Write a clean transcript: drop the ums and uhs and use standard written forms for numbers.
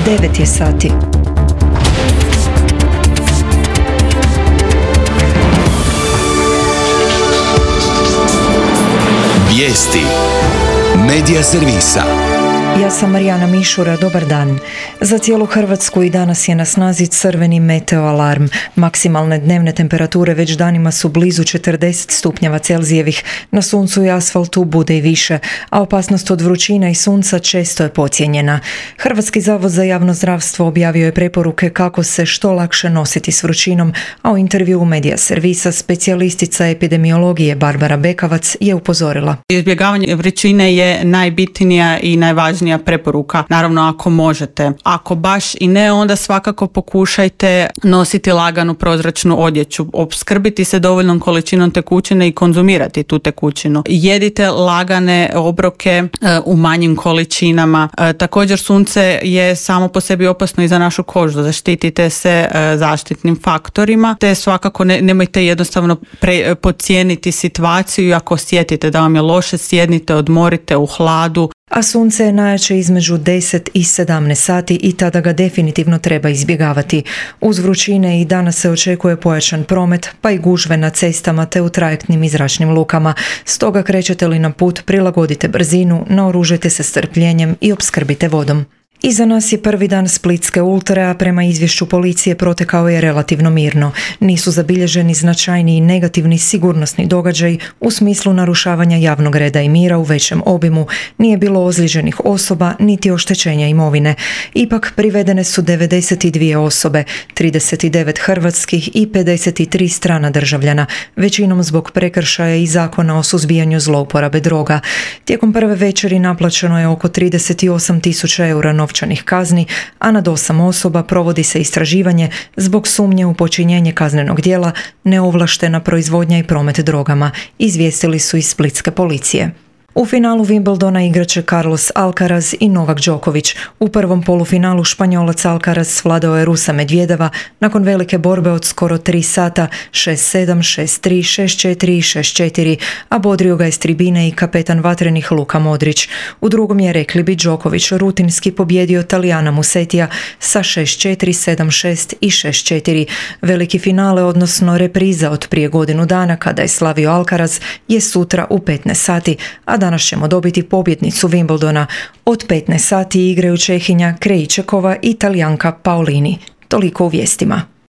9 je sati. Vijesti Medija servisa. Ja sam Marijana Mišura, dobar dan. Za cijelu Hrvatsku i danas je na snazi crveni meteo alarm. Maksimalne dnevne temperature već danima su blizu 40 stupnjeva Celzijevih. Na suncu i asfaltu bude i više, a opasnost od vrućina i sunca često je podcijenjena. Hrvatski zavod za javno zdravstvo objavio je preporuke kako se što lakše nositi s vrućinom, a u intervjuu Medija servisa specijalistica epidemiologije Barbara Bekavac je upozorila. Izbjegavanje vrućine je najbitnija i najvažnija preporuka, naravno ako možete. Ako baš i ne, onda svakako pokušajte nositi laganu prozračnu odjeću, opskrbiti se dovoljnom količinom tekućine i konzumirati tu tekućinu. Jedite lagane obroke u manjim količinama. Također sunce je samo po sebi opasno i za našu kožu, zaštitite se zaštitnim faktorima, te svakako nemojte jednostavno podcijeniti situaciju i ako osjetite da vam je loše, sjednite, odmorite u hladu. A sunce je najjače između 10 i 17 sati i tada ga definitivno treba izbjegavati. Uz vrućine i danas se očekuje pojačan promet, pa i gužve na cestama te u trajektnim i zračnim lukama. Stoga krećete li na put, prilagodite brzinu, naoružajte se strpljenjem i opskrbite vodom. Iza nas je prvi dan Splitske ultre, a prema izvješću policije protekao je relativno mirno. Nisu zabilježeni značajni i negativni sigurnosni događaj u smislu narušavanja javnog reda i mira u većem obimu. Nije bilo ozlijeđenih osoba niti oštećenja imovine. Ipak privedene su 92 osobe, 39 hrvatskih i 53 strana državljana, većinom zbog prekršaja i zakona o suzbijanju zlouporabe droga. Tijekom prve večeri naplaćeno je oko 38.000 eura novčanih kazni, a nad 8 osoba provodi se istraživanje zbog sumnje u počinjenje kaznenog djela neovlaštena proizvodnja i promet drogama, izvijestili su iz splitske policije. U finalu Wimbledona igraće Carlos Alcaraz i Novak Đoković. U prvom polufinalu Španjolac Alcaraz svladao je Rusa Medvedeva nakon velike borbe od skoro 3 sata, 6-7, 6-3, 6-4 i 6-4, a bodrio ga je s tribine i kapetan vatrenih Luka Modrić. U drugom je, rekli bi, Đoković rutinski pobjedio Talijana Musetija sa 6-4, 7-6 i 6-4. Veliki finale, odnosno repriza od prije godinu dana kada je slavio Alcaraz, je sutra u 15 sati, a danas ćemo dobiti pobjednicu Wimbledona. Od 15 sati igraju Čehinja Krejčekova i Talijanka Paolini. Toliko u vijestima.